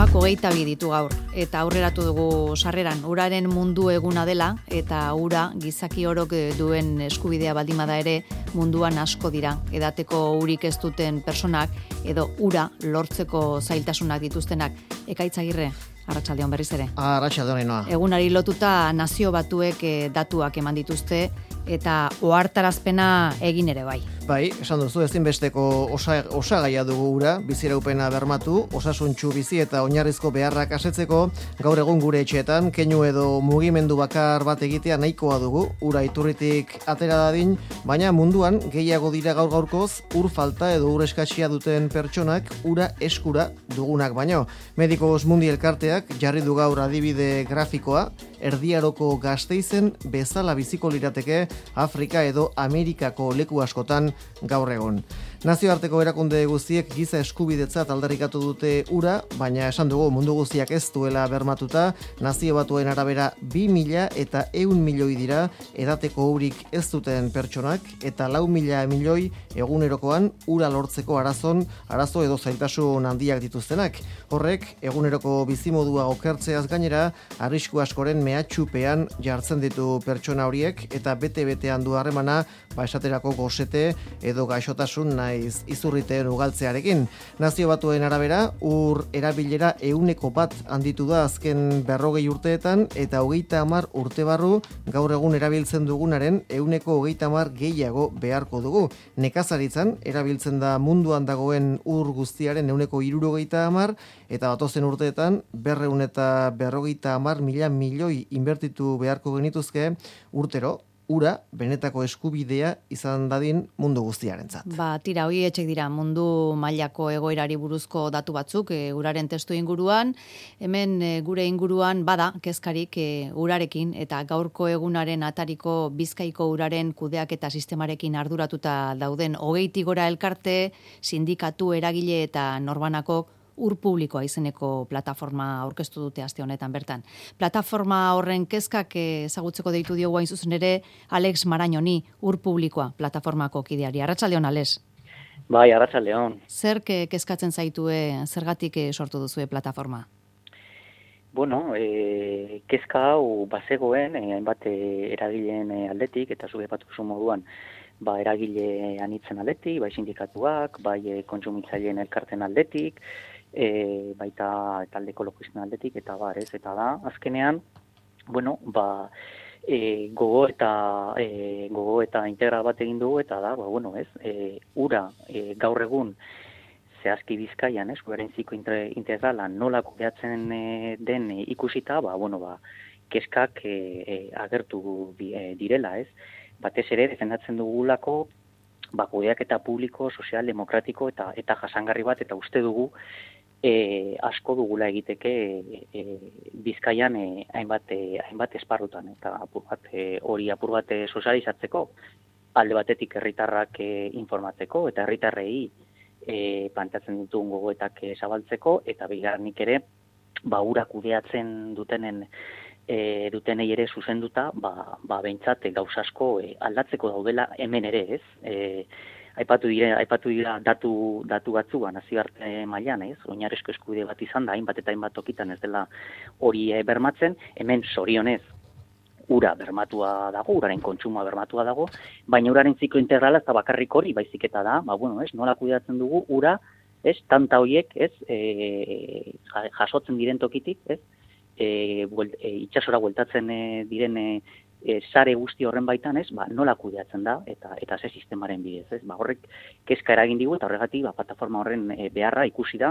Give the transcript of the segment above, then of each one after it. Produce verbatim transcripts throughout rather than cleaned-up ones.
martxoak hogeita bi ditu gaur, eta aurreratu dugu sarreran uraren mundu eguna dela, eta ura gizaki orok duen eskubidea baldimada ere munduan asko dira. Edateko urik ez duten personak, edo ura lortzeko zailtasunak dituztenak. Ekaitz Agirre, arratsaldeon berriz ere. Arratsaldeon Ainhoa. Egunari lotuta Nazio Batuek datuak eman dituzte, eta ohartarazpena egin ere bai. Bai, esan duzu, ezinbesteko osa, osagaia dugu ura, biziraupena bermatu, osasuntsu bizi eta oinarrizko beharrak asetzeko, gaur egun gure etxeetan, keinu edo mugimendu bakar bat egitea nahikoa dugu, ura iturritik atera dadin, baina munduan gehiago dira gaur gaurkoz, ur falta edo ur eskatsia duten pertsonak ura eskura dugunak baino. Medikos Mundi elkarteak jarri du gaur adibide grafikoa, Erdiaroko Gasteizen bezala biziko lirateke Afrika edo Amerikako leku askotan gaur egon. Nazioarteko erakunde guztiek giza eskubidetzat aldarrikatu dute ura, baina esan dugu mundu guztiak ez duela bermatuta, Nazio Batuen arabera bi mila eta ehun milioi dira edateko urik ez duten pertsonak, eta lau mila milioi egunerokoan ura lortzeko arazon, arazo edo zailtasun handiak dituztenak. Horrek, eguneroko bizimodua okertzeaz gainera, arrisku askoren mehatxupean jartzen ditu pertsona horiek, eta bete-betean du harremana, ba esaterako gosete edo gaixotasun naiz izurriteen ugaltzearekin. Nazio Batuen arabera, ur erabilera ehuneko bat handitu da azken berrogei urteetan, eta hogeita hamar urte barru gaur egun erabiltzen dugunaren ehuneko hogeita hamar gehiago beharko dugu. Nekazaritzan erabiltzen da munduan dagoen ur guztiaren ehuneko hirurogeita hamar, eta datozen urteetan berrehun eta berrogeita hamar mila milioi inbertitu beharko genituzke urtero, ura benetako eskubidea izan dadin mundu guztiarentzat. Ba, tira, hoi etxek dira mundu mailako egoerari buruzko datu batzuk, e, uraren testu inguruan, hemen e, gure inguruan bada kezkarik e, urarekin, eta gaurko egunaren atariko Bizkaiko uraren kudeaketa sistemarekin arduratuta dauden hogeitik gora elkarte, sindikatu, eragile eta norbanako ur publikoa izeneko plataforma aurkeztu dute aste honetan bertan. Plataforma horren kezkak ezagutzeko deitu diogu hain zuzen ere Alex Marañoni, ur publikoa plataformako kideari. Arratsaldeon, Alex. Bai, arratsaldeon. Zer kezkatzen zaitue, zergatik sortu duzue plataforma? Bueno, e, kezka hau bazegoen hainbat e, eragileen aldetik, eta zuk aipatu duzu moduan, ba eragile anitzen aldetik, bai sindikatuak, bai e, kontsumitzaileen elkarten aldetik, E, baita talde ekologisten aldetik, eta bar, ez, eta da, azkenean, bueno, ba, e, gogo eta e, gogo eta integral bat egin dugu, eta da, ba, bueno, ez, e, ura e, gaur egun zehazki Bizkaian, ez, uraren ziko integrala nola kudeatzen e, den e, ikusita, ba, bueno, ba, kezkak e, e, agertu di, e, direla, ez, batez ere defendatzen dugulako, ba, kudeaketa publiko, sozial, demokratiko eta eta jasangarri bat, eta uste dugu E, asko dugula egiteke e, Bizkaian e, hainbat, e, hainbat esparrutan, eta apur bat, e, hori apur bat e, sozializatzeko, alde batetik herritarrak e, informatzeko, eta herritarrei e, planteatzen ditugun gogoetak e, zabaltzeko, eta bigarrenik ere, ba, ura kudeatzen dutenen e, dutenei ere zuzenduta, ba, ba behintzat gauza asko e, aldatzeko daudela hemen ere, ez? E, Aipatu dira, aipatu dira datu datu batzua nazioarte mailan, ez? Oinarrizko eskubide bat izan da, hainbat eta hainbat tokitan ez dela hori e, bermatzen, hemen zorionez ura bermatua dago, uraren kontsumoa bermatua dago, baina uraren ziklo integrala ez da bakarrik hori, baizik eta da, ba bueno, ez, nola kudeatzen dugu ura, ez, tanta hoiek, ez, e, jasotzen diren tokitik, ez? E, buelt, e, itsasora bueltatzen e, diren e, E, sare guzti horren baitan, ez, ba, nola kudeatzen da, eta eta ze sistemaren bidez, ez, ba, horrek kezka eragin digu, eta horregatik, ba, plataforma horren e, beharra ikusi da,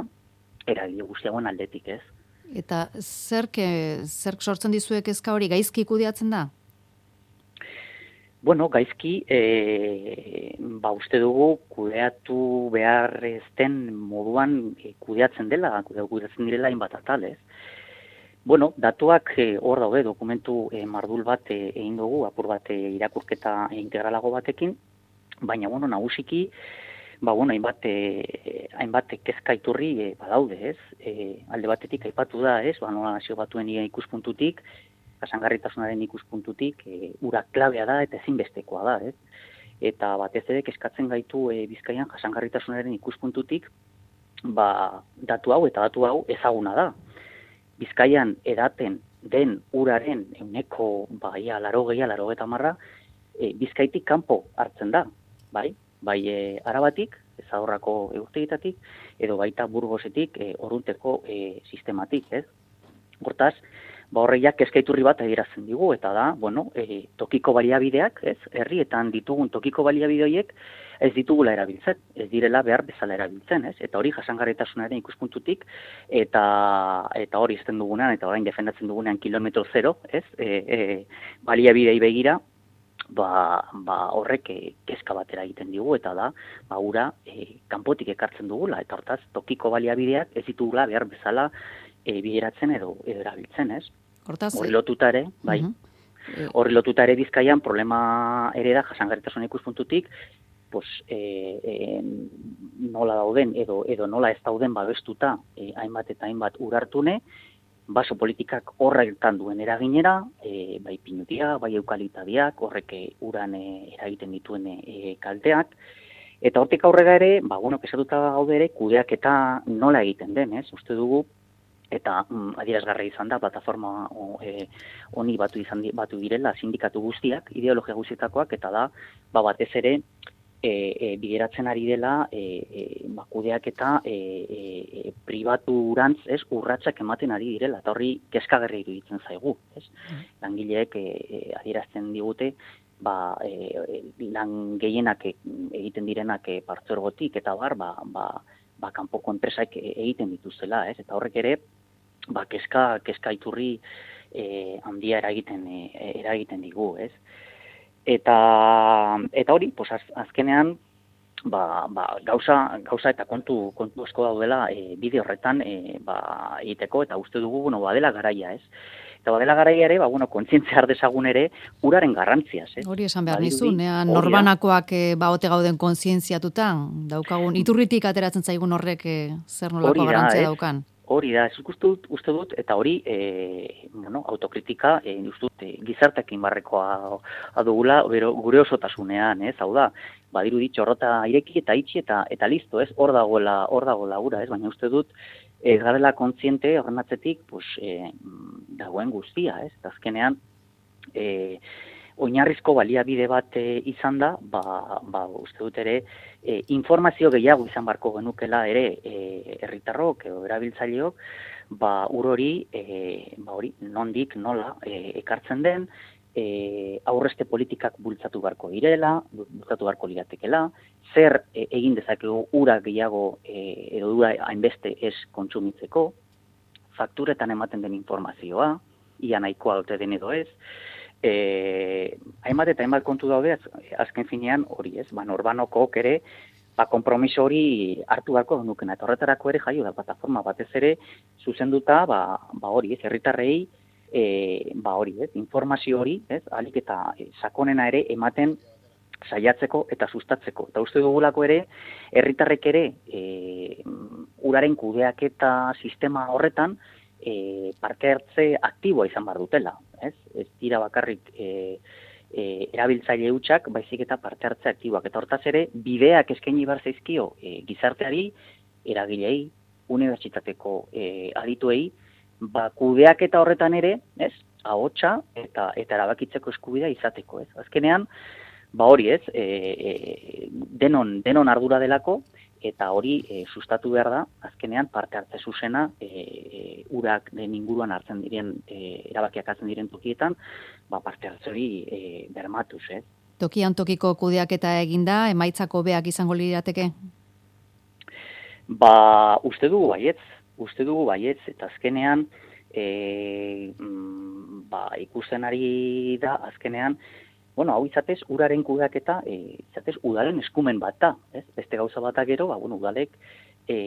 eragile guztiagoen aldetik, ez. Eta zerk, zerk sortzen dizue kezka hori, gaizki kudeatzen da? Bueno, gaizki, e, ba, uste dugu, kudeatu behar ezten moduan e, kudeatzen dela, kudeatzen direla hainbat atal, ez. Bueno, datuak hor daude, dokumentu e, mardul bat e, egin dugu, apur bat e, irakurketa integralago batekin, baina, bueno, nagusiki, ba, bueno, hainbat, e, hainbat kezka iturri e, badaude, ez? E, alde batetik aipatu da, ez? Ba, nola Nazio Batuen ikuspuntutik, jasangarritasunaren ikuspuntutik, e, ura klabea da eta ezinbestekoa da, ez? Eta batez ere kezkatzen gaitu e, Bizkaian jasangarritasunaren ikuspuntutik, ba, datu hau eta datu hau ezaguna da. Bizkaian edaten den uraren euneko baia laro gehiago, laro eta marra, e, Bizkaitik kanpo hartzen da, bai? Bai e, Arabatik, Zadorrako egurtegitatik, edo baita Burgosetik e, Orunteko e, sistematik, ez? Hortaz, ba horreiak kezkaiturri bat adierazten digu, eta da, bueno, e, tokiko baliabideak, ez? Herrietan ditugun tokiko baliabide horiek ez ditugula erabiltzen, ez direla behar bezala erabiltzen, ez? Eta hori jasangarritasunaren ikuspuntutik, eta eta hori izten dugunean, eta orain defendatzen dugunean kilometro zero, ez? E, e, baliabidei begira, ba, ba horrek e, kezka batera egiten digu, eta da, ba ura e, kanpotik ekartzen dugula, eta hortaz, tokiko baliabideak ez ditugula behar bezala e, bideratzen edo, edo erabiltzen, ez? Hortaz, Horri lotuta ere, bai, horri lotuta ere Bizkaian problema ere da jasangarritasun ikuspuntutik, pues, e, e, nola dauden edo edo nola ez dauden babestuta e, hainbat eta hainbat urartune, baso politikak horretan duen eraginera, e, bai pinutia, bai eukaliptadiak, horrek uran e, eragiten dituen e, kalteak, eta hortik aurrera ere, ba, bueno, kesatuta gaude ere, kudeak eta nola egiten den, ez? Uste dugu, eta mm, adierazgarra izan da, plataforma o, e, honi batu, izan, batu direla sindikatu guztiak, ideologia guztietakoak, eta da, ba, batez ere, E, e, bideratzen ari dela e, e, bakudeak eta e, e, pribaturantz, ez, urratsak ematen ari direla, eta horri kezkagarria iruditzen zaigu, ez? Langileek e, e, adierazten digute, ba, e, lan gehienak egiten direnak e, partzuergotik eta bar, ba, ba, ba kanpoko enpresak egiten dituzela, ez? Eta horrek ere, ba, kezka, kezka iturri e, handia eragiten, e, eragiten digu, ez? Eta eta hori, pues az, azkenean ba, ba, gauza, gauza eta kontu kontu asko daudela e, bide horretan e, ba, egiteko, eta uste dugu bueno, badela garaia, ez? Eta badela garaia ere, ba bueno, kontzientzia har dezagun ere uraren garrantziaz, ez? Hori esan behar nizun, norbanakoak e, ba ote gauden kontzientziatutan daukagun iturritik ateratzen zaigun horrek e, zer nolako garrantzia daukan. Hori da, ez uste dut, uste dut, eta hori, e, bueno, autokritika, e, uste dut, e, gizartekin barrekoa adugula, bero, gure osotasunean, ez, hau da, badiru dit, txorrota ireki eta itxi eta eta listo, ez, hor dagoela, hor dagoela ura, ez, baina uste dut, ez garela kontziente, horren atzetik, pues, e, dagoen guztia, ez, eta azkenean, e, oinarrizko baliabide bat e, izan da, ba, ba, uste dut ere, e, informazio gehiago izan barko genukela ere e, herritarrok edo erabiltzaileok, ba, ur hori, e, ba, hori, nondik, nola, e, ekartzen den, e, aurrezte politikak bultzatu barko direla, bultzatu barko liratekela, zer e, egin dezakegu ura gehiago e, edo ura hainbeste ez kontsumitzeko, fakturetan ematen den informazioa, ia nahikoa dute den edo ez, E, hainbat eta hainbat kontu daude, azken finean hori ez, ba, norbanokok ere, ba, kompromiso hori hartu beharko nukena, eta horretarako ere jaio da plataforma batez ere, zuzenduta, ba, ba hori ez, herritarrei, e, ba hori ez, informazio hori, ez, alik eta e, sakonena ere ematen saiatzeko eta sustatzeko. Eta uste dugulako ere, herritarrek ere, e, uraren kudeaketa sistema horretan, E, parte hartze aktiboa izan behar dutela, ez? Ez dira bakarrik e, e, erabiltzaile hutsak, baizik eta parte hartze aktiboak. Eta hortaz ere, bideak eskaini behar zaizkio e, gizarteari, eragilei, unibertsitateko e, adituei, ba, kudeak eta horretan ere, ez? Ahotsa eta eta erabakitzeko eskubidea izateko, ez? Azkenean, ba hori, ez? E, e, denon, denon ardura delako, eta hori e, sustatu behar da, azkenean parte hartze zuzena e, e, urak den inguruan hartzen diren, e, erabakiak hartzen diren tokietan, ba, parte hartze hori e, bermatuz, ez? Tokian tokiko kudeaketa eginda, emaitzako beak izango lirateke? Ba, uste dugu baietz, uste dugu baietz, eta azkenean, e, mm, ba, ikusten ari da, azkenean, bueno, hau izatez, uraren kudeaketa, e, izatez, udalen eskumen bat da, ez? Beste gauza batak gero, ba, bueno, udalek e,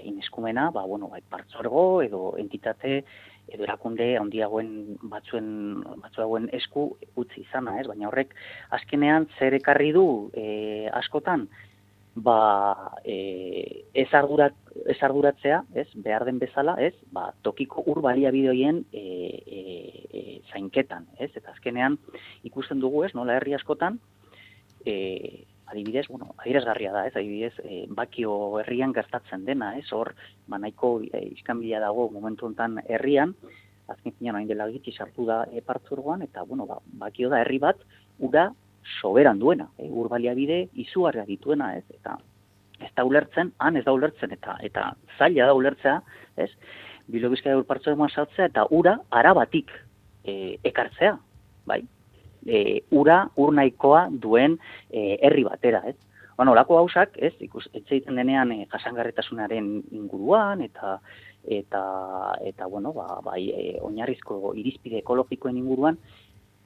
ineskumena, ba, bueno, bai, partzuergo edo entitate edo erakunde handiagoen batzuen, batzuagoen esku utzi izana, ez? Baina horrek, azkenean, zer ekarri du e, askotan, ba, e, ez, ardurat, ez arduratzea, ez, behar den bezala, ez, ba, tokiko ur baliabide horien e, e, e, zainketan, ez, eta azkenean ikusten dugu, ez, nola herri askotan, e, adibidez, bueno, adierazgarria da, ez, adibidez, e, Bakio herrian gertatzen dena, ez, hor, ba, nahiko e, iskanbila dago momentu honetan herrian, azken finean hain dela gitxi sartu da e, partzuergoan, eta, bueno, ba, Bakio da herri bat, ura soberan duena, e, ur baliabide izugarria dituena, ez, eta ez da ulertzen, han ez da ulertzen, eta eta zaila da ulertzea, ez, Bilbo Bizkaia ur partzuergoan sartzea, eta ura arabatik e, ekartzea, bai, e, ura ur nahikoa duen e, herri batera, ez. Bueno, olako gauzak, ez, ikus, etxeiten denean e, jasangarritasunaren inguruan, eta eta eta bueno, ba, bai, e, oinarrizko irizpide ekologikoen inguruan,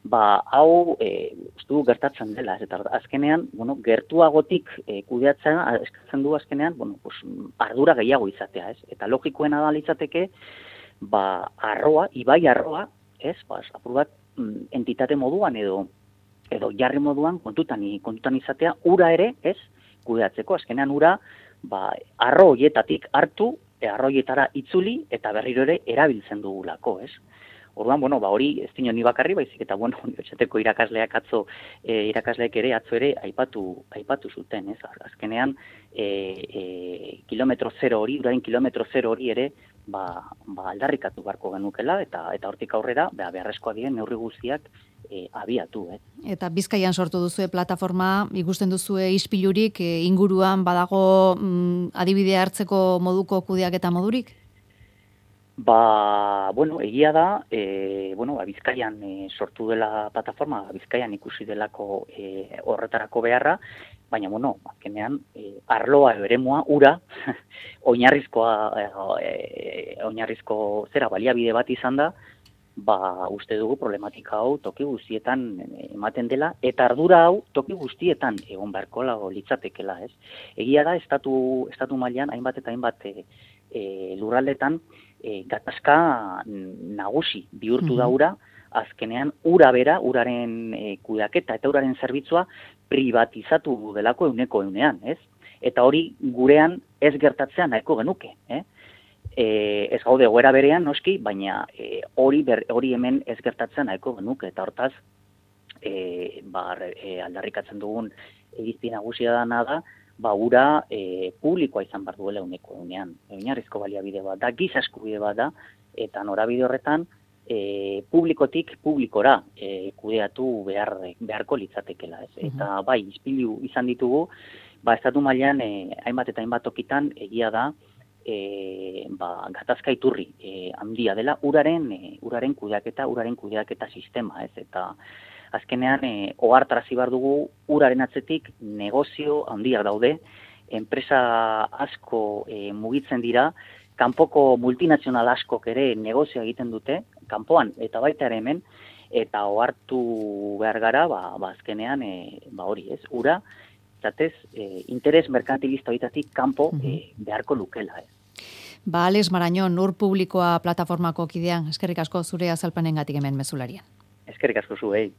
ba, hau e, ustu gertatzen dela, ez, eta azkenean, bueno, gertuagotik e, kudeatzen eskatzen du azkenean, bueno, pues, ardura gehiago izatea, ez, eta logikoena da litzateke, ba, arroa, ibai arroa, ez, ba, apur bat, entitate moduan edo edo jarri moduan kontutan kontutan izatea ura ere, ez, kudeatzeko azkenean ura, ba, arro hoietatik hartu, e, arro hoietara itzuli eta berriro ere erabiltzen dugulako, ez. Orduan, bueno, ba hori ez dino ni bakarri, baizik eta bueno, unibertsitateko irakasleak atzo e, irakasleek ere atzo ere aipatu aipatu zuten, ez. Azkenean e, e, kilometro zero hori, uraren kilometro zero hori ere ba, ba aldarrikatu beharko genukela eta eta hortik aurrera ba beharrezkoak diren neurri guztiak e, abiatu, eh. Eta Bizkaian sortu duzue plataforma, ikusten duzue ispilurik e, inguruan badago mm, adibide hartzeko moduko kudeaketa modurik? Ba, bueno, egia da, e, bueno, ba, Bizkaian e, sortu dela plataforma, Bizkaian ikusi delako e, horretarako beharra, baina, bueno, azkenean, e, arloa eremua, ura, oinarrizkoa, e, oinarrizko zera baliabide bat izan da, ba, uste dugu problematika hau toki guztietan ematen dela, eta ardura hau toki guztietan egon beharko lago litzatekela, ez? Egia da, estatu, estatu mailan hainbat eta hainbat e, e, lurraldetan, E, gatazka nagusi bihurtu da ura, azkenean ura bera, uraren e, kudeaketa eta uraren zerbitzua privatizatu delako euneko eunean, ez? Eta hori gurean ez gertatzea nahiko genuke, eh? E, ez gaude egoera berean, noski, baina e, hori, ber, hori hemen ez gertatzea nahiko genuke, eta hortaz, e, ba, e, aldarrikatzen dugun irizpi nagusia dana da, ba, ura e, publikoa izan behar duela uneko egunean. Oinarrizko baliabide bat da, giza eskubide bat da, eta norabide horretan e, publikotik publikora e, kudeatu behar, beharko litzatekela. Ez? Eta bai, izpilu izan ditugu, ba, estatu mailan e, hainbat eta hainbat tokitan egia da, e, ba, gatazka iturri e, handia dela uraren, e, uraren kudeaketa, uraren kudeaketa sistema, ez? Eta azkenean, e, ohartarazi behar dugu uraren atzetik negozio handiak daude, enpresa asko e, mugitzen dira, kanpoko multinazional askok ere negozio egiten dute, kanpoan eta baita ere hemen, eta ohartu behar gara, ba, ba azkenean, e, ba hori ez, ura, zatez, e, interes merkantilista horitatik kanpo e, beharko lukela ez. Ba, Alex Marañón, ur publikoa plataformako kidean, eskerrik asko zure azalpenengatik hemen mezularian. Eskerrik asko zuei.